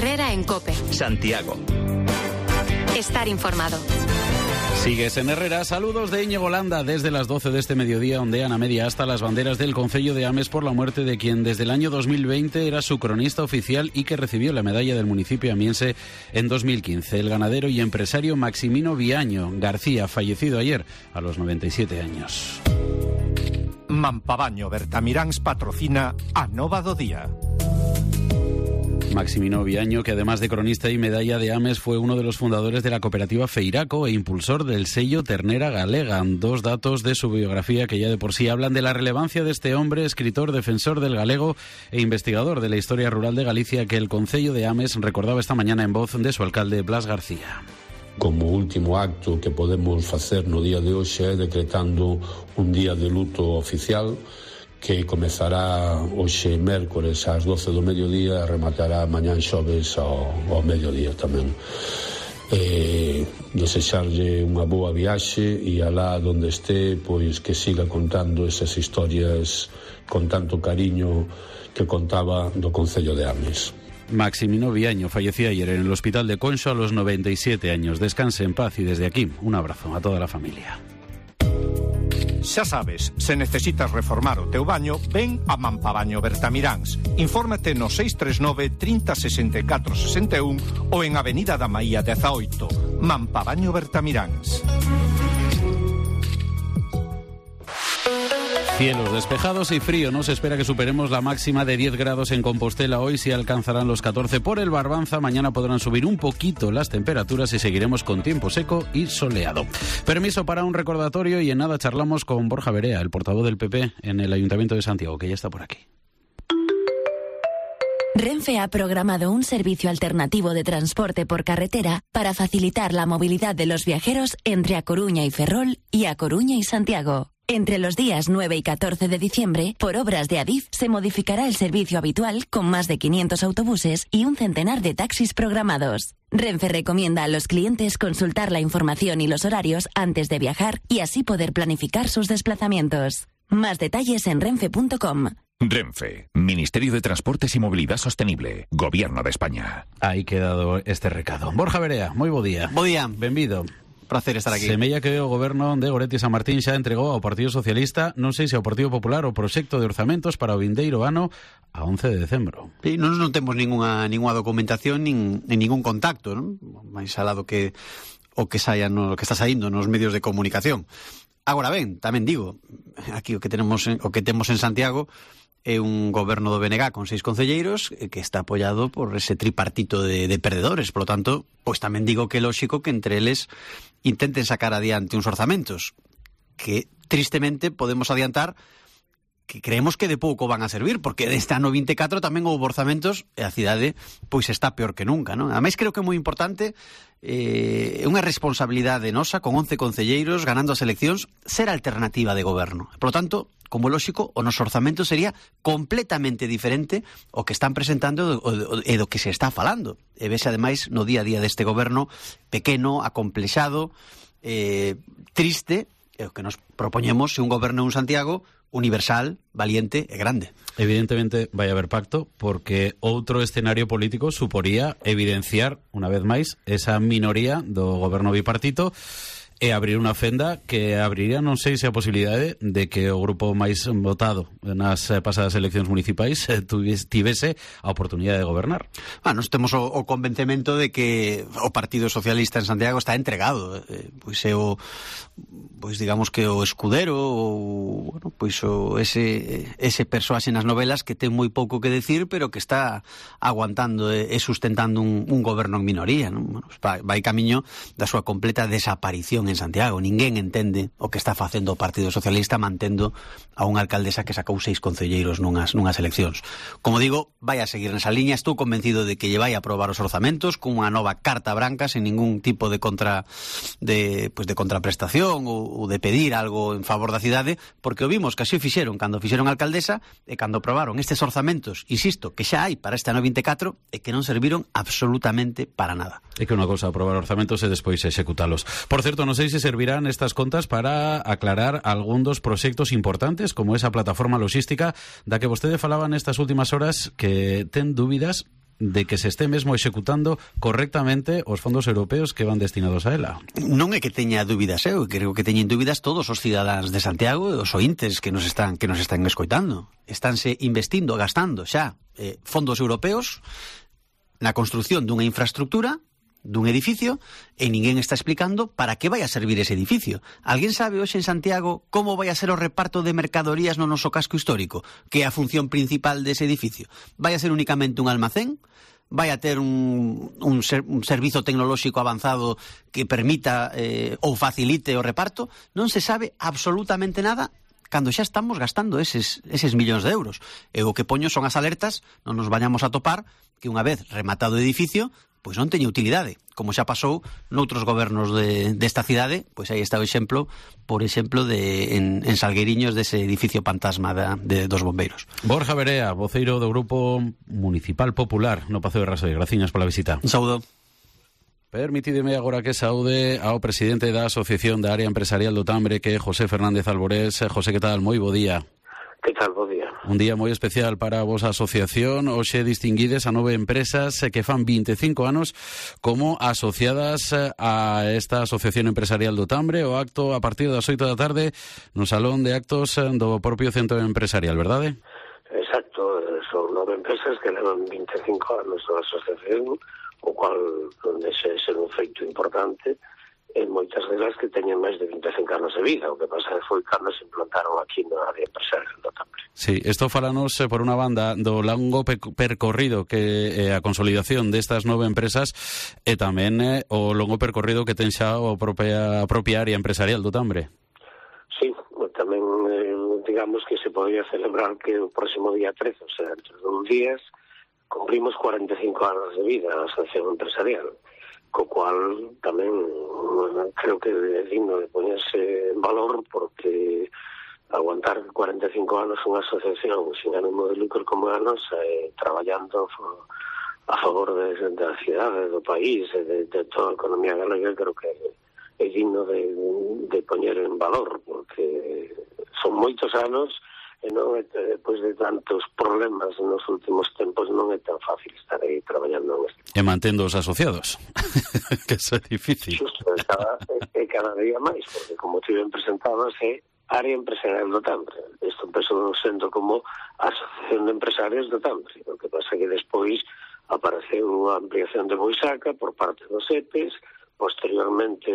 Herrera en COPE. Santiago. Estar informado. Sigues en Herrera. Saludos de Íñigo Landa. Desde las 12 de este mediodía ondean a media asta las banderas del Concello de Ames por la muerte de quien desde el año 2020 era su cronista oficial y que recibió la medalla del municipio amiense en 2015. El ganadero y empresario Maximino Viaño García, fallecido ayer a los 97 años. Mampabaño Bertamiráns patrocina a Nova do Día. Maximino Viaño, que además de cronista y medalla de Ames, fue uno de los fundadores de la cooperativa Feiraco e impulsor del sello Ternera Galega. Dos datos de su biografía que ya de por sí hablan de la relevancia de este hombre, escritor, defensor del galego e investigador de la historia rural de Galicia, que el Concello de Ames recordaba esta mañana en voz de su alcalde Blas García. Como último acto que podemos facer no día de hoxe é decretando un día de luto oficial que comezará hoxe mércores ás 12 do mediodía e rematará mañán xoves ao mediodía tamén. Desexarlle unha boa viaxe e alá donde este, pois que siga contando esas historias con tanto cariño que contaba do Concello de Ames. Maximino Viaño falleció ayer en el hospital de Conxo a los 97 años. Descanse en paz y desde aquí un abrazo a toda la familia. Xa sabes, se necesitas reformar o teu baño, ven a Mampabaño Bertamiráns. Infórmate no 639 30 64 61 ou en Avenida da Maía 18. Mampabaño Bertamiráns. Cielos despejados y frío. No se espera que superemos la máxima de 10 grados en Compostela. Hoy sí alcanzarán los 14 por el Barbanza. Mañana podrán subir un poquito las temperaturas y seguiremos con tiempo seco y soleado. Permiso para un recordatorio y en nada charlamos con Borja Berea, el portavoz del PP en el Ayuntamiento de Santiago, que ya está por aquí. Renfe ha programado un servicio alternativo de transporte por carretera para facilitar la movilidad de los viajeros entre A Coruña y Ferrol y A Coruña y Santiago. Entre los días 9 y 14 de diciembre, por obras de Adif, se modificará el servicio habitual con más de 500 autobuses y un centenar de taxis programados. Renfe recomienda a los clientes consultar la información y los horarios antes de viajar y así poder planificar sus desplazamientos. Más detalles en renfe.com. Renfe, Ministerio de Transportes y Movilidad Sostenible, Gobierno de España. Ahí quedado este recado. Borja Berea, moi bo día. Bo día. Benvido. Prazer estar aquí. Semella que o goberno de Goretti San Martín xa entregou ao Partido Socialista, non sei se ao Partido Popular, o proxecto de orzamentos para o vindeiro ano a 11 de decembro. Sí, non temos ninguna documentación nin ningún contacto, non? Mais alado que o que saia no que está saindo nos medios de comunicación. Agora ben, tamén digo, aquí o que temos en Santiago é un goberno do BNG con 6 concelleiros que está apoiado por ese tripartito de perdedores. Por lo tanto, pois tamén digo que é lóxico que entre eles intenten sacar adiante uns orzamentos que, tristemente, podemos adiantar que creemos que de pouco van a servir, porque deste ano 24 tamén houve orzamentos e a cidade pois está peor que nunca, non? Ademais, creo que é moi importante, é unha responsabilidade nosa, con 11 concelleiros ganando as eleccións, ser alternativa de goberno. Por lo tanto, como lóxico, o noso orzamento sería completamente diferente ao que están presentando e do que se está falando. E vese, ademais, no día a día deste goberno pequeno, acomplexado, triste, e o que nos propoñemos é un goberno en Santiago universal, valiente e grande. Evidentemente vai haber pacto, porque outro escenario político suporía evidenciar, unha vez máis, esa minoría do goberno bipartito e abrir unha fenda que abriría, non sei se a posibilidade de que o grupo máis votado nas pasadas eleccións municipais tivese a oportunidade de gobernar. Nos temos o convencemento de que o Partido Socialista en Santiago está entregado, pois é o digamos que o escudero ou ese persoaxe nas novelas que ten moi pouco que decir, pero que está aguantando e sustentando un goberno en minoría, non? Vai camiño da súa completa desaparición en Santiago. Ninguén entende o que está facendo o Partido Socialista mantendo a unha alcaldesa que sacou 6 concelleiros nunhas eleccións. Como digo, vai a seguir nesa liña. Estou convencido de que lle vai a aprobar os orzamentos con unha nova carta branca, sen ningún tipo de contraprestación ou de pedir algo en favor da cidade, porque o vimos que así o fixeron cando fixeron alcaldesa e cando aprobaron estes orzamentos, insisto, que xa hai para este ano 24 e que non serviron absolutamente para nada. É que unha cosa aprobar orzamentos e despois executalos. Por certo, non sei se servirán estas contas para aclarar algún dos proxectos importantes, como esa plataforma logística da que vostede falaba nestas últimas horas, que ten dúbidas de que se este mesmo executando correctamente os fondos europeos que van destinados a ela. Non é que teña dúbidas, eu creo que teñen dúbidas todos os cidadáns de Santiago e os ointes que nos están escoitando. Estánse investindo, gastando xa fondos europeos na construción dunha infraestructura, dun edificio, e ninguén está explicando para que vai a servir ese edificio. Alguén sabe hoxe en Santiago como vai a ser o reparto de mercadorías no noso casco histórico? Que é a función principal dese edificio? Vai a ser únicamente un almacén? Vai a ter un servizo tecnolóxico avanzado que permita ou facilite o reparto? Non se sabe absolutamente nada cando xa estamos gastando eses millóns de euros. E o que poño son as alertas, non nos vayamos a topar que unha vez rematado o edificio, pois non teña utilidade, como xa pasou noutros gobernos desta cidade. Pois aí está o exemplo, por exemplo, en Salgueiriños, dese edificio fantasma dos bombeiros. Borja Verea, voceiro do Grupo Municipal Popular no Paseo de Rasoy. Graciñas pola visita. Un saúdo. Permitideme agora que saúde ao presidente da Asociación da Área Empresarial do Tambre, que é José Fernández Alborés. José, que tal? Moi bo día. Que tal, bo día. Un día moi especial para a vosa asociación. Hoxe distinguides a 9 empresas que fan 25 anos como asociadas a esta Asociación Empresarial do Tambre. O acto a partir das 8 da tarde no Salón de Actos do propio Centro Empresarial, verdade? Exacto, son 9 empresas que levan 25 anos na asociación, o cual non deixa de ser un feito importante. E moitas delas que teñen máis de 25 anos de vida. O que pasa foi cando se implantaron aquí na área empresarial do Tambre. Sí, isto falanos por unha banda do longo percorrido que é a consolidación destas 9 empresas e tamén o longo percorrido que ten xa a propia área empresarial do Tambre. Sí, tamén digamos que se podía celebrar que o próximo día 13, o sea, entre 2 días, cumprimos 45 anos de vida a asociación empresarial, co cual tamén creo que é digno de poñerse en valor, porque aguantar 45 anos unha asociación sin ánimo de lucro como a nosa, traballando a favor da cidade, do país e de toda a economía galega, creo que é digno de poñer en valor, porque son moitos anos e non é, depois de tantos problemas nos últimos tempos, non é tan fácil estar aí traballando neste. E mantendo os asociados, que é difícil. Justo, cada día máis, porque como te ben presentados é área empresarial do Tambre. Isto empezou sendo como Asociación de Empresarios do Tambre. O que pasa que despois apareceu a ampliación de Boisaca por parte dos EPES, posteriormente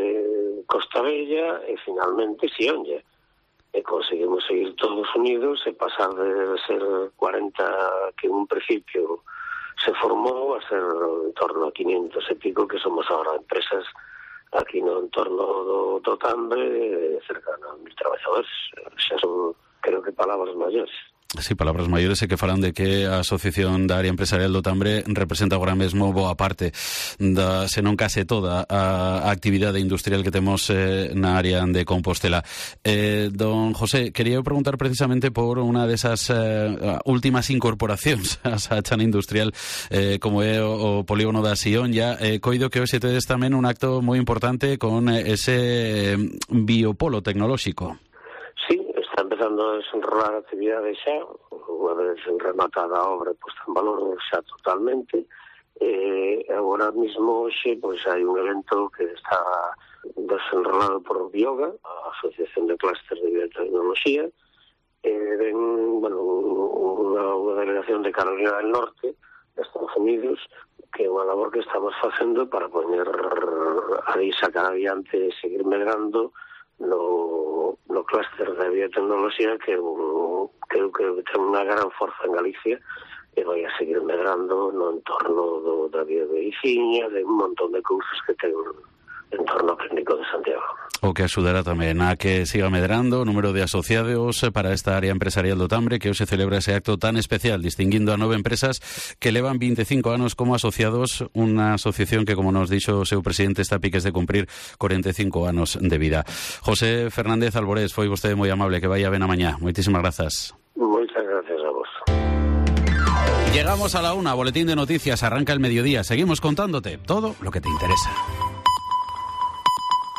Costa Bella e finalmente Sionlla. E conseguimos seguir todos unidos e pasar de ser 40 que en un principio se formou a ser en torno a 500 e pico que somos ahora empresas aquí no entorno do Tambre, cercano a 1.000 traballadores. Xa son, creo que, palabras maiores. Sí, palabras maiores e que falan de que a Asociación da Área Empresarial do Tambre representa agora mesmo boa parte da, se non case toda, a actividade industrial que temos na área de Compostela. Don José, quería preguntar precisamente por unha desas últimas incorporacións a chana industrial, como é o polígono da Sionlla. Coido que hoxe tedes tamén un acto moi importante con ese biopolo tecnolóxico. Sí, está empezando a desenrolar a actividade xa, unha vez rematada a obra posta en valor xa totalmente. Agora mesmo hoxe pois hai un evento que está desenrolado por Bioga, a Asociación de Clúster de Biotecnoloxía, ven, bueno, unha delegación de Carolina del Norte, de Estados Unidos, que é unha labor que estamos facendo para poñer a sacar adiante e seguir medrando no clúster de biotecnoloxía, que creo que ten unha gran forza en Galicia e vai a seguir medrando no entorno da biomedicina, de un montón de cousas que ten en torno ao clínico de Santiago. O que axudará tamén a que siga medrando o número de asociados para esta área empresarial do Tambre, que hoxe celebra ese acto tan especial, distinguindo a 9 empresas que levan 25 anos como asociados, unha asociación que, como nos dixo o seu presidente, está a piques de cumprir 45 anos de vida. José Fernández Alborés, foi vostede moi amable, que vaya ben a mañá. Moitísimas grazas. Moitas gracias a vos. Llegamos a la 1, boletín de noticias, arranca el mediodía. Seguimos contándote todo lo que te interesa.